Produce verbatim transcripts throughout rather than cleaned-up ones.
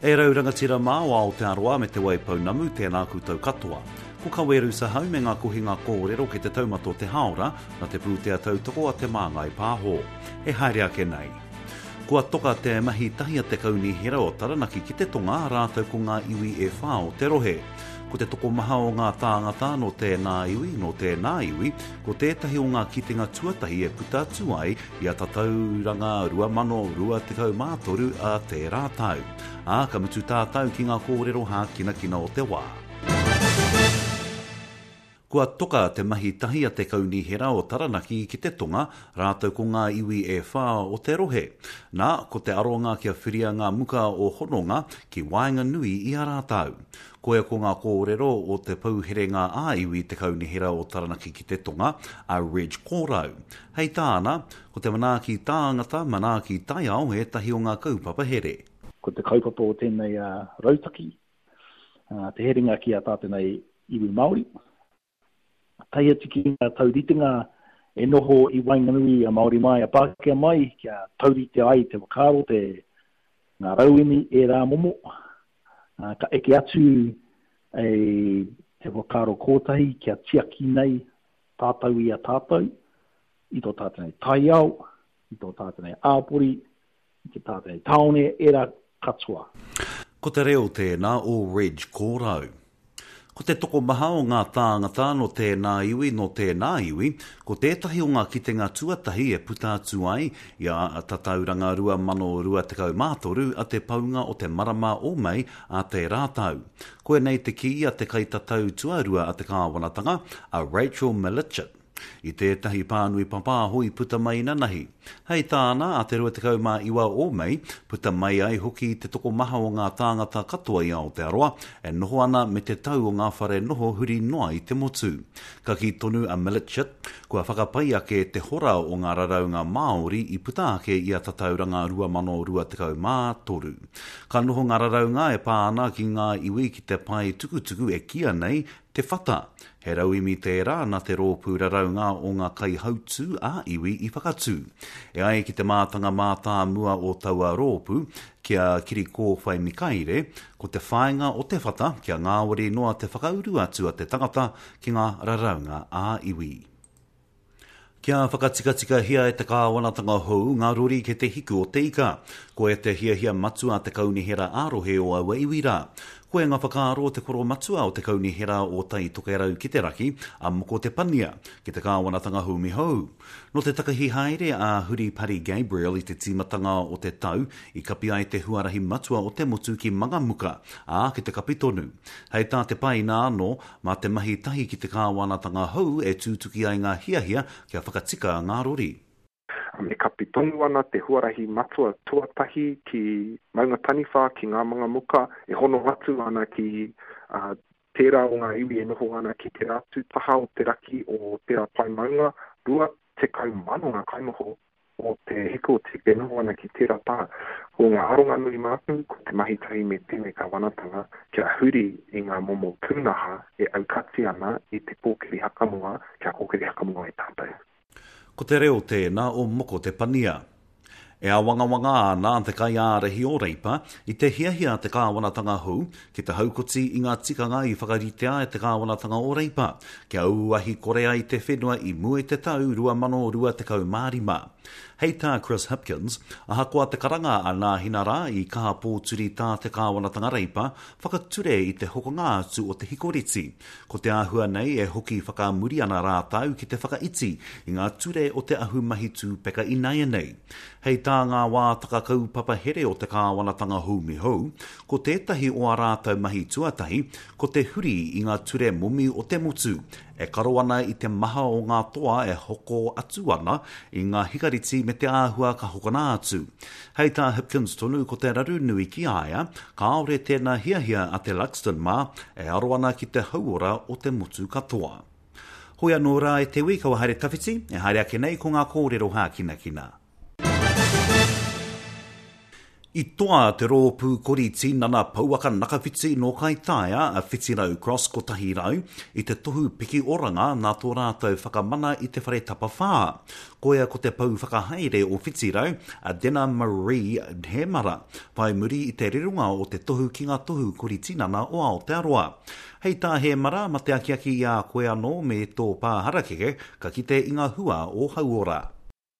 E rau rangatira mā o Aotearoa me Te Waipounamu, tēnā koutou katoa. Ko Kaweru Sahau me ngā kohinga kōrero ki te taumata o te hāora, na te pūtea tautoko a Te Māngai Pāho. E haere ake nei. Kua toka te mahi tahi a te Kaunihera o Taranaki ki te tonga rātou ko ngā iwi e whā o te rohe. Ko te tokomaha o ngā tāngata nō tēnā iwi, nō tēnā iwi, ko tētahi o ngā kitenga tuatahi e puta atu ai i a Tatauranga rua mano rua tekau mā toru a tērā tau. Ā, ka mutu tātou ki ngā kōrero hākinakina o te wā. Kua toka te mahi tahi a te Kaunihera o Taranaki ki te tonga, rātou ko ngā iwi e whā o te rohe. Nā, ko te aronga kia whiria ngā muka o hononga ki waenganui i a rātou. Koia ko ngā kōrero o te pouherenga ā-iwi te Kaunihera o Taranaki ki te tonga, a Reg Kōrau. Hei tāna, ko te manaaki tāngata, manaaki taiao ētahi o ngā kaupapa here. Ko te kaupapa o tēnei rautaki, te herenga ki a tātou nei iwi Māori, tae atu ki ngā tauritenga e noho i waenganui a Māori mai, a Pākehā mai, kia taurite ai te whakaaro, te ngā rauemi e rā momo, ka eke atu e te whakaaro kōtahi kia tiaki nei tātou i a tātou, i tō tātou nei taiao, i tō tātou nei āpori, i te tātou nei tāone, e rā katoa. Ko te reo tēnā o Reg Kōrau. Ko te tokomaha o ngā tāngata nō tēnā iwi, nō tēnā iwi, ko tētahi o ngā kitenga tuatahi e puta atu ai i a Tatauranga rua mano rua tekau mā toru a te paunga o te marama o Mei a tērā tau. Koinei te kī a te kaitatau tuarua a te kāwanatanga, a Rachel Milicich, i tētahi pānui papāho i puta mai nanahi. Hei tāna a te rua tekau mā iwa o Mei, puta mai ai hoki te tokomaha o ngā tāngata katoa i Aotearoa e noho ana me te tau o ngā whare noho huri noa i te motu. Ka kī tonu a Milicich, kua whakapai ake te hora o ngā raraunga Māori i puta ake i a Tatauranga rua mano rua tekau mā toru. Ka noho ngā raraunga e pā ana ki ngā iwi ki te pae tukutuku e kīa nei Te Whata, he rauemi tērā nā te rōpū raraunga o ngā kaihautū a iwi i whakatū. E ai ki te mātanga mātāmua o taua rōpū, ki a Kirikōwhai Mikaere, ko te whāinga o Te Whata kia ngāwari noa te whakauru atu a te tangata ki ngā raraunga a iwi. Kia whakatikatikahia e te kāwanatanga hou ngā rori ki te hiku o te ika. Koia te hiahia matua a te kaunihera ā-rohe o aua iwi rā. Koia ngā whakaaro o te koromatua o te kaunihera o Tai Tokerau ki te raki, a Moko Te Pania, ki te kāwanatanga humi hou. Nō te takahi haere a Huri Pari Gabriel i te tīmatanga o te tau, i kapi ai te huarahi matua o te motu ki Mangamuka, ā, ki te kapi tonu. Hei tā te paina anō, mā te mahi tahi ki te kāwanatanga hou e tūtuki ai ngā hiahia kia whakatika ngā rori. E kapi tonu ana te huarahi matua tuatahi ki Maungataniwha, ki ngā Mangamuka, e hono atu ana ki uh, tērā o ngā iwi e noho ana ki te rātu taha o te raki o tērā pae maunga, rua tekau mano ngā kainoho o te hiku o te e noho ana ki tērā taha. Ko ngā aronga nui mātou, ko te mahi tahi me tēnei kāwanatanga, kia huri i ngā momo pūnaha e aukati ana i te kōkiri hakamoa, kia kōkiri hakamoa i tātou. Ko te reo tēnā o Moko Te Pania. E awangawanga ana te kaiārahi o Reipa i te hiahia a te kāwanatanga hou ki te haukoti i ngā tikanga i whakaritea e te kāwanatanga o Reipa, kia auahi kore ai te whenua i mua i te tau rua mano rua tekau mā rima. Hei tā Chris Hipkins, ahakoa te karanga a Nāhina rā i kaha pōturi tā te kāwanatanga Reipa whakature i te hokonga atu o te hikoreti. Ko te āhua nei e hoki whakamuri ana rātou ki te whakaiti i ngā ture o te ahumahi tūpeka ināianei. Hei tā ngā wātaka kaupapa here o te kāwanatanga humi hou, ko tētahi o ā rātou mahi tuatahi, ko te huri i ngā ture momi o te motu, e karo ana i te maha o ngā toa e hoko atu ana i ngā hikariti me te āhua ka hokona atu. Hei tā Hipkins tonu ko te raru nui ki a ia, kāore tēnā hiahia a te Luxton mā e aro ana ki te hauora o te motu katoa. Hoi anō rā e te ui, kaua haere tawhiti, e haere ake nei ko ngā kōrero hākinakina. I toa te rōpū kori tinana pouaka nakawhiti nō Kaitaia a Whitirau Cross kotahi rau i te tohu piki oranga nā tō rātou whakamana i te whare tapawhā. Koia ko te pou whakahaere o Whitirau, a Dena Marie Hemara, whai muri i te rironga o te tohu ki ngā tohu kori tinana o Aotearoa. Hei tā Hemara, ma te akiaki i a koe anō me tō pā harakeke, ka kite i ngā hua o hauora.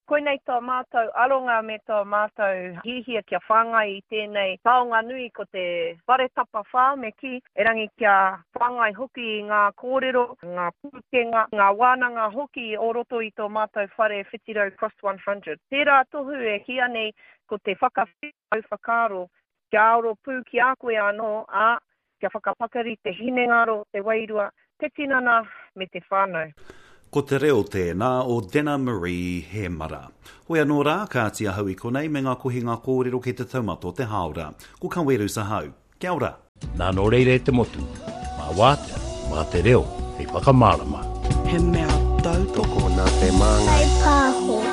Koinei tō mātou aronga me tō mātou hiahia kia whāngai i tēnei taonga nui ko te whare tapawhā me kī, erangi kia whāngai hoki i ngā kōrero, ngā pūkenga, ngā wānanga hoki o roto i tō mātou whare Whitirau Cross one hundred. Tērā tohu e kīia nei ko te whakawhitau whakaaro kia aro pū ki a koe anō, ā, kia whakapakari te hinengaro, te wairua, te tinana me te whānau. Ko te reo tēnā o Dena Marie Hemara. Hoi anō rā, kāti ahau i konei me ngā kohinga kōrero ki te taumata o te hāora. Ko Kawerus ahau. Kia ora! Nā nō reira e te motu, mā wātea, mā te reo hei whakamārama. He mea tautoko. Tokona te māngai. Whai pāho.